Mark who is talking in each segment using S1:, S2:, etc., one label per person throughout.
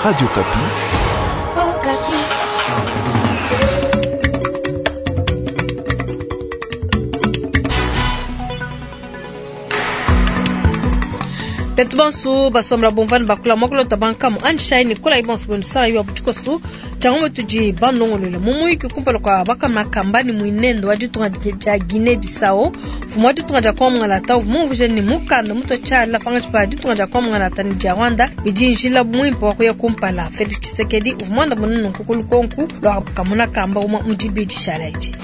S1: Radio Okapi.
S2: Betu bonso basomba bumvani bakula muakulu tabankamu anshai ne kolayi bonso benu saa wa butshikosu tshiangombe tudi banongolole mu muyiki kumpala kua bakamakamba ne muinendo wa ditunga dia Guinea Bissau mfumu wa ditunga dia Kongo uvua mumvuije ne mukanda mutua tshiala pangatshi pa ditunga dia Kongo ne dia Rwanda bidi njila muimpe wa kuya kumpala. Felix Tshisekedi uvua muandamune nunku ku lukonku lua kamuna kamba umue mu dibidi tshiala edi.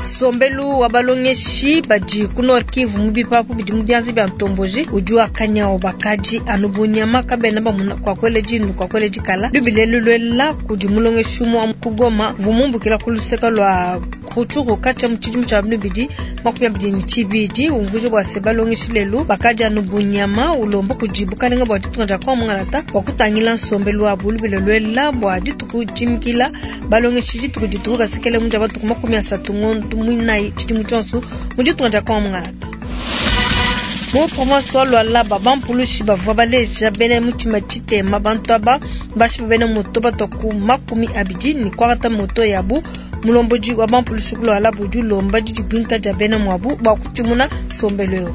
S2: Nsombelu wa balongeshi badi ku Nord Kivu mu bipapu bidi mu bianza bia ntomboji udi wakanyawu bakadi anu bu nyama kabena bamuna kwa kuela dinu kwa kuela dikala lubilelu luela kudi mulongeshi umue wa ku Goma uvua mumbukila ku luseke lua Rutshuru katshia mu tshidimu tshia 2022 umvuija bua se balongeshi lelu bakadi anu bu nyama ulomba kudi bukalenga bua ditunga dia Kongo Mungalata bua kutangila nsombelu wabu lubila luela bua dituku dimikila balongeshi dituku dituku basekele mu dia matuku 30 ngondo muinayi tshidimu tshionso mu ditunga dia Kongo Mungalata. Mu province wa Lualaba bampulushi bavua baleja bena mutshima tshitema bantu aba bashipa bena moto batua ku 20 ne kuangata moto yabu. Mulombodi wa bampulushi ku Lualaba udi ulomba didibuinka dia bena muabu bua kutshimuna nsombelu eu.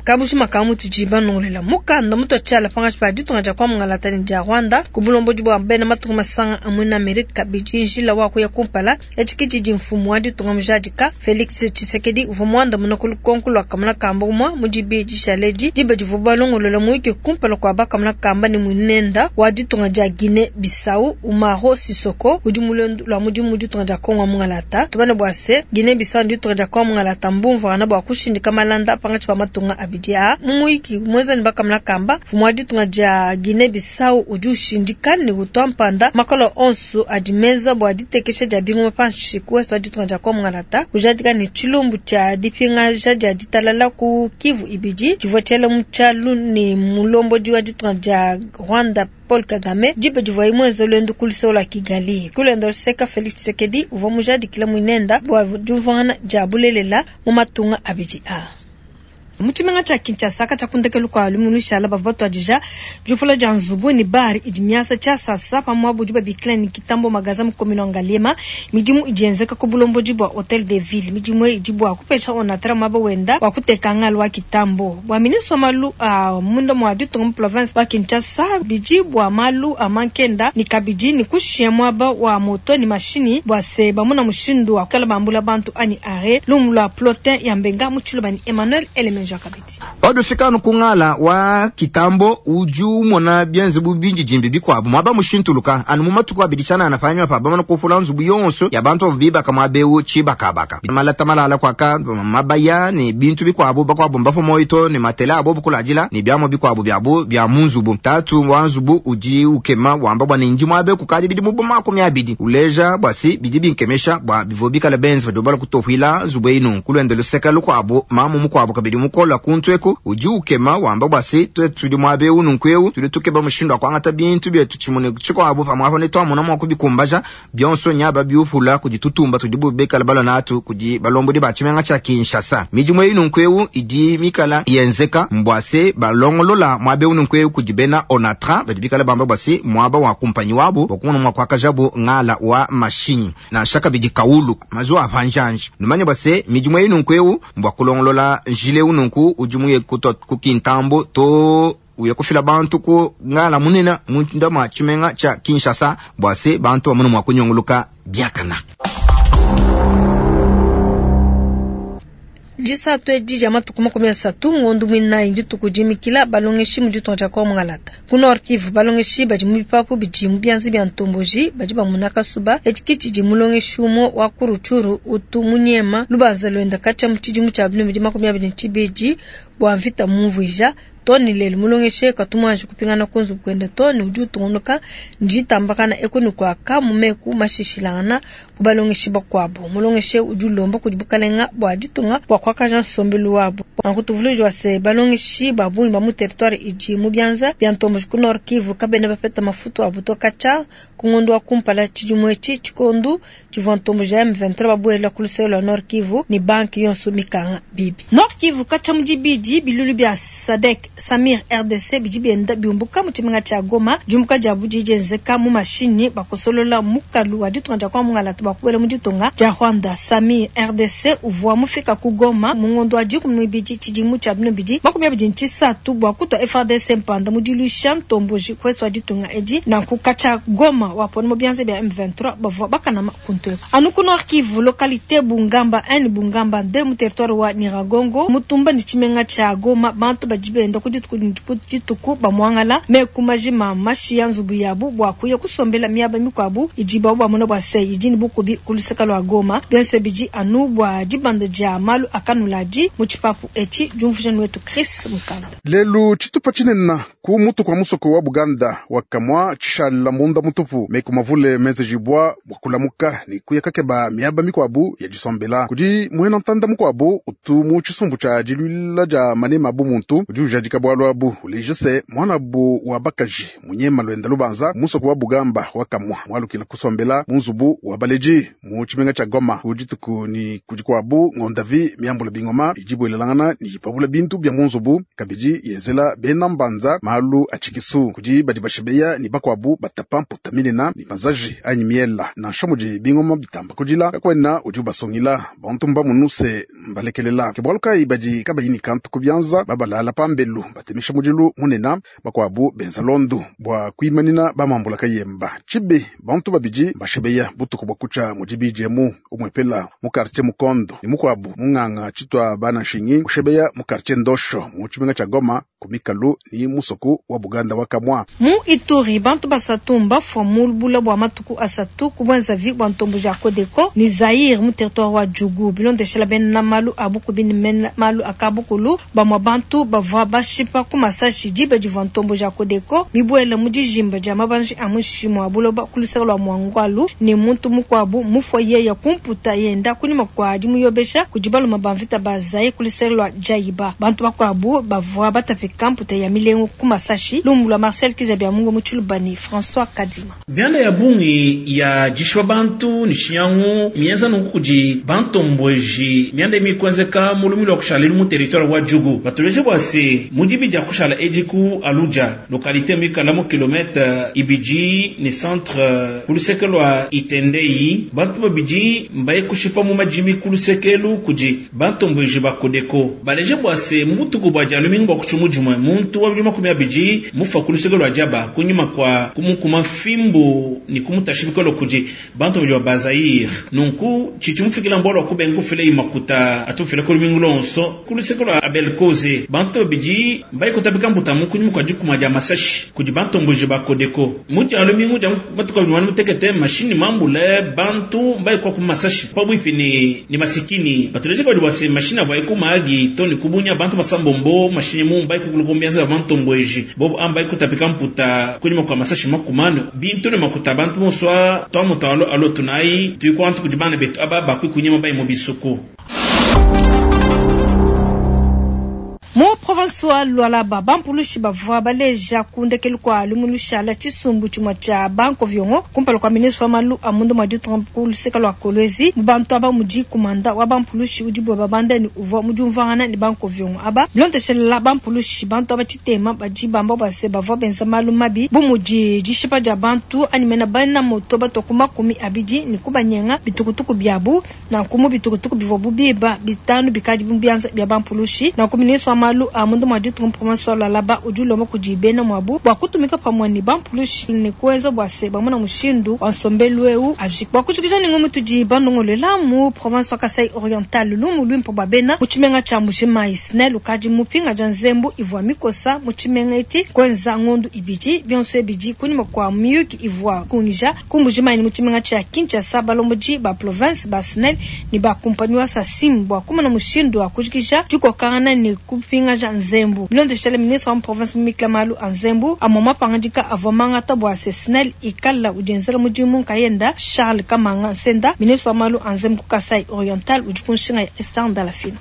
S2: Kabushima ka mutu tudi banongolela mukanda mutua tshiala pangatshi pa ditunga dia Kongo Mungalata ne dia Rwanda ku bulombodi bua bena matunga masanga a muena Amerika bidi njila wa kuya kumpala. Etshi ke tshidi mfumu wa ditunga mujadika Felix Tshisekedi uvua muandamune ku lukonko lua kamuna kamba umue mu dibidi dishale edi diba divua balongolola muyuki kumpala kua bakamuna kamba ne muinenda wa ditunga dia Guinea Bissau Umaro Sissoco udi mu luendu lua mudimu mu ditunga dia Kongo Mungalata. Tumane bua se Guinea Bissau ne ditunga dia Kongo Mungalata mbumvuangana bua kushindika malanda pangatshi pa matunga abidi aa. Mu muyiki muenza ne bakamuna kamba mfumu wa ditunga dia Guinea Bissau udi ushindika ne utua mpanda makolo onso adi menza bua ditekesha dia bingoma panshi ku ouest wa ditunga dia Kongo Mungalata kujadika ne tshilumbu tshia dipingaja dia ditalala ku Kivu ibidi tshivua tshiela mu tshialu ne mulombodi wa ditunga dia Rwanda Paul Kagame diba divuaye muenze luendu ku luseke lua Kigali. Ku luende luseka Felix Tshisekedi uvua mujadikile muinenda bua diumvuangana dia bulelela mu matunga abidi aa. Mu tshimenga tshia Kinshasa katshia ku ndekelu kua lumingu lushala bavua batuadija diupula dia nzubu ne bar idi miasa tshiasasa pa muaba udi babikila ne Kitambo Magaza mu commune wa Ngaliema. Midimu idi yenzeka ku bulombodi bua Hotel de Ville. Midimu eyi idi bua kupesha Onatra muaba wenda wa kuteka ngala wa Kitambo. Bua ministre wa malu a munda mua ditunga mu province wa Kinshasa bidi bua malu a mankenda ne kabidi ne kushiya muaba wa moto ne mashinyi bua se bamuna mushindu wa kuikala bambula bantu anyi arret. Lumu lua Plotin ya Mbenga mu Tshiluba ne Emmanuel Elemenja kabidi.
S3: Paudi ufika anu ku ngala wa Kitambo, udi umona bienze bu bindidimbi bikuabu muaba mushintuluka. Anu mu matuku abidi tshianana panyima pa bamana kupula nzubu yonso ya bantu bavua bibaka muaba eu tshibakabaka, malata malala kuaka, mabaya ne bintu bikuabu, bakuabu mbapue muoyo too ne matela a bobu kuladila ne biamua bikuabu biabu bia mu nzubu. Tatu wa nzubu udi ukema wamba bua ne, Ndi muaba eu kukadi bidimu bu 20, uleja bua si bidi binkemesha bua bivua bikale benze padibu balua kutopuila nzubu eyi nunku. Luende luseke lukuabu, mamu mukuabu kabidi mukola kuntu eku udi ukema wamba bua se, tuetu tudi muaba eu nunku eu tudi tukeba mushindu wa kuangata bintu bietu tshimue ne tshikuabu, pamuapa netuamona mua kubikumbaja bionso nyaba biupula kudi tutumba tudibu bikala balua natu kudi balombodi ba tshimenga tshia Kinshasa. Midimu eyi nunku eu idi mikala yenzeka mbua se balongolola muaba eu nunku eu kudi bena Onatra badi bikala bamba bua se muaba wa kumpanyi wabu bua kumona mua kuakajabu ngala wa mashinyi nansha kabidi kawulu mazuwa a pa njanji. Numanye bua se midimu eyi nunku eu mbua kulongolola njila eu nunku udi muye kutua ku Kintambo to uya kufila bantu ku ngala munene munda mua tshimenga tshia Kinshasa bua se bantu bamone mua kunyunguluka biakana.
S2: Disatu edi dia matuku 30 ngondo muinayi ndituku dimikila balongeshi mu ditunga dia Kongo Mungalata. Ku Nord Kivu balongeshi badi mu bipapu bidi mu bianza bia ntomboji badi bamuna kasuba. Etshi ke tshidi mulongeshi umue wa ku Rutshuru utu munyema lubanza luenda katshia mu tshidimu tshia 2022 bua mvita mumvuija. Too ne lelu mulongeshi katu muanji kupingana ku nzubu kuende too ne udi utungunuka ne ditambakana eku ne kuaka mu meku mashishilangana bu balongeshi bakuabu. Mulongeshi udi ulomba kudi bukalenga bua ditunga bua kuakaja nsombelu wabu. Nanku tuvuluije wa se balongeshi ba bungi ba mu territoire idi mu bianza bia ntomboji ku Nord Kivu kabena bapeta mafutu abu to katshia ku ngondo wa kumpala tshidimu etshi, tshikondu tshivua ntomboji ya M23 babuela ku luseke lua Nord Kivu ne banque yonso mikanga bibi. Nord Kivu katshia mu dibidi bilulu bia SADC. Samir RDC bidi bienda biumbuka mu tshimenga tshia Goma. Diumbuka diabu didi dienzeka mu mashinyi bakosolola mukalu wa ditunga dia Kongo mungalata bua kubuela mu ditunga dia Rwanda. Samir RDC uvua mufika ku Goma mu ngondo wa 12 tshidimu tshia 2023 bua kutua FARDC mpanda mu diluisha ntomboji ku ouest wa ditunga edi. Nanku katshia Goma wapona mu bianza bia M23 bavua bakanama kuntu eku. Anu ku Nord Kivu, localite Bungamba 1 ne Bungamba 2 mu territoire wa Nyiragongo, mutumba ne tshimenga tshia Goma, bantu badi benda ku dituku ne ku dituku bamuangala meku majima mashiya nzubu yabu bua kuya kusombela miaba mikuabu idibu bamona bua se idi ne bukubi ku luseke lua Goma. Bionso bidi anu bua dibanda dia malu a kanuladi mu tshipapu etshi, diumvuija ne wetu Chris Mukanda.
S1: Lelu tshitupa tshinene ku mutu kua musoko wa Buganda wa kamua tshishala munda mutupu meku mavule menzejibua bua kulamuka ne kuya kakeba miaba mikuabu ya disombela. Kudi muena ntanda mukuabu utu mu tshisumbu tshia diluila dia manema bu muntu udi ujadika bualu abu uleja se muanabu wa bakaji munyema lwenda lubanza musoko wa Bugamba wa kamua mwalukila kusombela mu nzubu wa baleji mu tshimenga tshia Goma ku dituku ni kudi kuabu ngondavi miambula bingoma idi buelelangana ni ipabula bintu bya mu nzubu kabidi yenzela bena mbanza malu a tshikisu kudi badi bashebeya ni bakuabu batapa mputa minena ni mazaji anyi miela nansha mudi bingoma bitamba kudila kakwena udi ubasungila bantu mbamunuse mbalekelela ke bualu kayi badi kabayi ni kantu ku bianza babalala pambelu batemesha mudilu munena bakuabu benza londu bua kuimanina bamambula kayemba tshibi bantu babidi bashebeya butuku bua kutsha mudi bijemu umwepela mu quartier Mukondo ni mukuabu munganga tshitwa bana nshingi ushebeya mu quartier Ndosho mu tshimenga tshia Goma ku mikalu ni musoku wa Buganda wa kamwa.
S2: Mu Ituri bantu basatu mbafua mu lubula bua matuku asatu ku bwenzavi bua ntombo ja Codeco ni Zaire mu territoire wa Djugu bilondeshela bena malu a bukubi ni mena malu a kabukulu bamua bantu bavua bashipa ku masashi diba divua ntombo ja Codeco mibuela mu dijimba dia mabanji a muinshi mua buloba ku luseke lua Mwangwalu ne muntu mukuabu mufua yeya kumputa yenda kunyima kua dimuyobesha kudi baluma ba mvita ba Zaire ku luseke lua Jaiba. Bantu bakuabu bavua batapika mputa ya milengu ku masashi. Lumbu lua Marcel Kizabia Mungu mu Tshilubani François Kadima.
S4: Mianda ya bungi ya dishwa bantu ni shinyangu mienza nunku kudi bantombweji mianda imikwenzeka mu lumi lwa kushala elu mu territoire wa Djugu batuleje bua se mudibi dia kushala edi ku Aluja localité mikala mu kilomètre ibidi ni centre ku luseke lwa Itendei bantu babidi mbaye kushipa mu majimi ku lusekelu kudi bantombweji ba Codeco baleje bua se mutuku bua dia lumingu bua kutshumu jumwe muntu wa 20 mufa ku luseke lwa Diaba kunyima kwa kumukuma fimbu ni kumutashibikolo kudi bantu babidi ba Bazaire nunku chichimufikila mbolo kubenga kufile imakuta atufile ku lumingu lonso ku luseke lwa Abel Koze bantu babidi mbaye kutabika mbuta kunyima kwa dikuma dia masashi kudi bantomboji ba Codeco muti ya lumingu dia matuka binwani mutekete mashini mambule bantu mbaye kwa ku masashi pabwipi ni, ni masikini batuleje badi bwase mashini avaye kumaagi to ni kubunya bantu basambombo mashini mu mbaye kukulukombianza bantombweji bobo ambaye kutapika mputa kunyima kwa masashi makumano bintu ne makuta bantu moswa twamuto alo alo tunai tuikwantu kudi bana betu aba bakwi kunyima bayi mu bisuku.
S2: Mu province wa Lualaba bampulushi bavua baleja ku ndekelu kua lumu lushala tshisumbu tshimue tshia banko viongo kumpala kua ministre wa malu a munda mua ditunga ku luseke lua Kolwezi. Mu bantu aba mudi kumanda wa bampulushi udi bua babanda ni uvua mudiumvuangana ne banko viongo aba bilondeshelela bampulushi bantu aba tshitema badi bamba bua se bavua benza malu mabi bu mudi dishipa dia bantu anyi mena bana moto bato ku 20 ne kubanyenga bitukutuku biabu nanku mu bitukutuku bivua bubiba 5 bikadi mu bianza bia bampulushi. Nanku ministre wa malu a munda mua ditunga province wa Lualaba udi ulomba kudi bena muabu bua kutumika pamue ne bampulushi ne kuenza bua se bamona mushindu wa nsombelu eu ajika. Bua kujikija ne ngumu tudi banongolela mu province wa Kasai Oriental lumu luimpe bua bena mu tshimenga tshia Mbuji-Mayi SNEL ukadi mupinga dia nzembu ivua mikosa mu tshimenga etshi kuenza ngondu ibidi bionso ebidi kunyima kua miyuki ivua kungija ku Mbuji-Mayi ne mu tshimenga tshia Kinshasa balombodi ba province ba SNEL ne ba kumpanyi wa Sasim bua kumona mushindu wa kujikija dikokangana ne kupingaja nzembu. Bilondeshele ministre wa province mumikila malu a nzembu amua mapangadika avua mangata bua se SNEL ikala udienzela mudimu nkayenda. Charles Kamanga Nsenda ministre wa malu a nzembu ku Kasai Oriental udi ku nshinga ya Esther Ndalafina.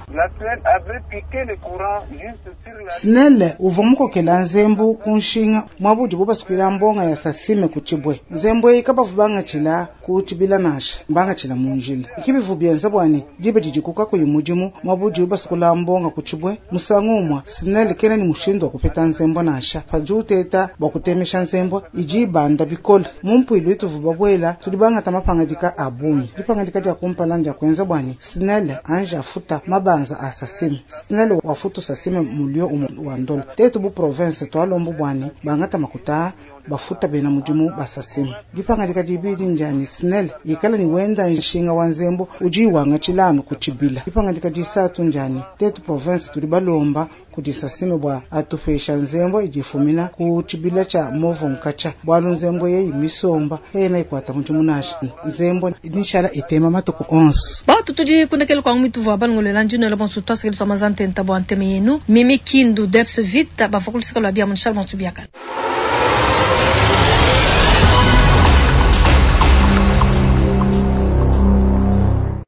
S5: SNEL uvua mukokela nzembu ku nshinga mwabudi bubasukwila mbonga ya Sasime ku tshibwe nzembu eyi kabavu bangatshila ku tshibila nansha mbangatshila mu njila ikibivu bienza bwani dibe didi kukakuyi mudimu mwabudi bubasukula mbonga ku tshibwe musangu umwa. SNEL kena ne mushindu wa kupeta nzembo nansha. Padi uteta bua kutemesha nzembo idi ibanda bikole. Mu mpuilu ituvua babuela tudi bangata mapangadika a bungi. Dipangadika dia kumpala ndia kuenza bua ne SNEL anji afuta mabanza a SACIM. SNEL wafutu SACIM mulio umue wa ndola. Tetu bu province tualombu bua ne bangata makuta bafuta bena mudimu ba SACIM. Dipangadika dibidi ndia ne SNEL ikala ne wenda nshinga wa nzembo udi wangatshila anu ku tshibila. Dipangadika disatu ndia ne tetu province tudi balomba kudi SACIM bua atupesha nzembo idi ifumina ku tshibila tshia Movo Nkatsha, bualu nzembo yeyi misomba kayena ikuata mudimu nansha. Nzembo nishala itema matuku onso.
S2: Batu tudi kundekela kwangu mituvua balongolela ndinoela bonso twasekela twa mazantenta bua nteme yenu. Mimi Kindu Deps Vita bavua kuluseka lua bia munshala bonso biakana.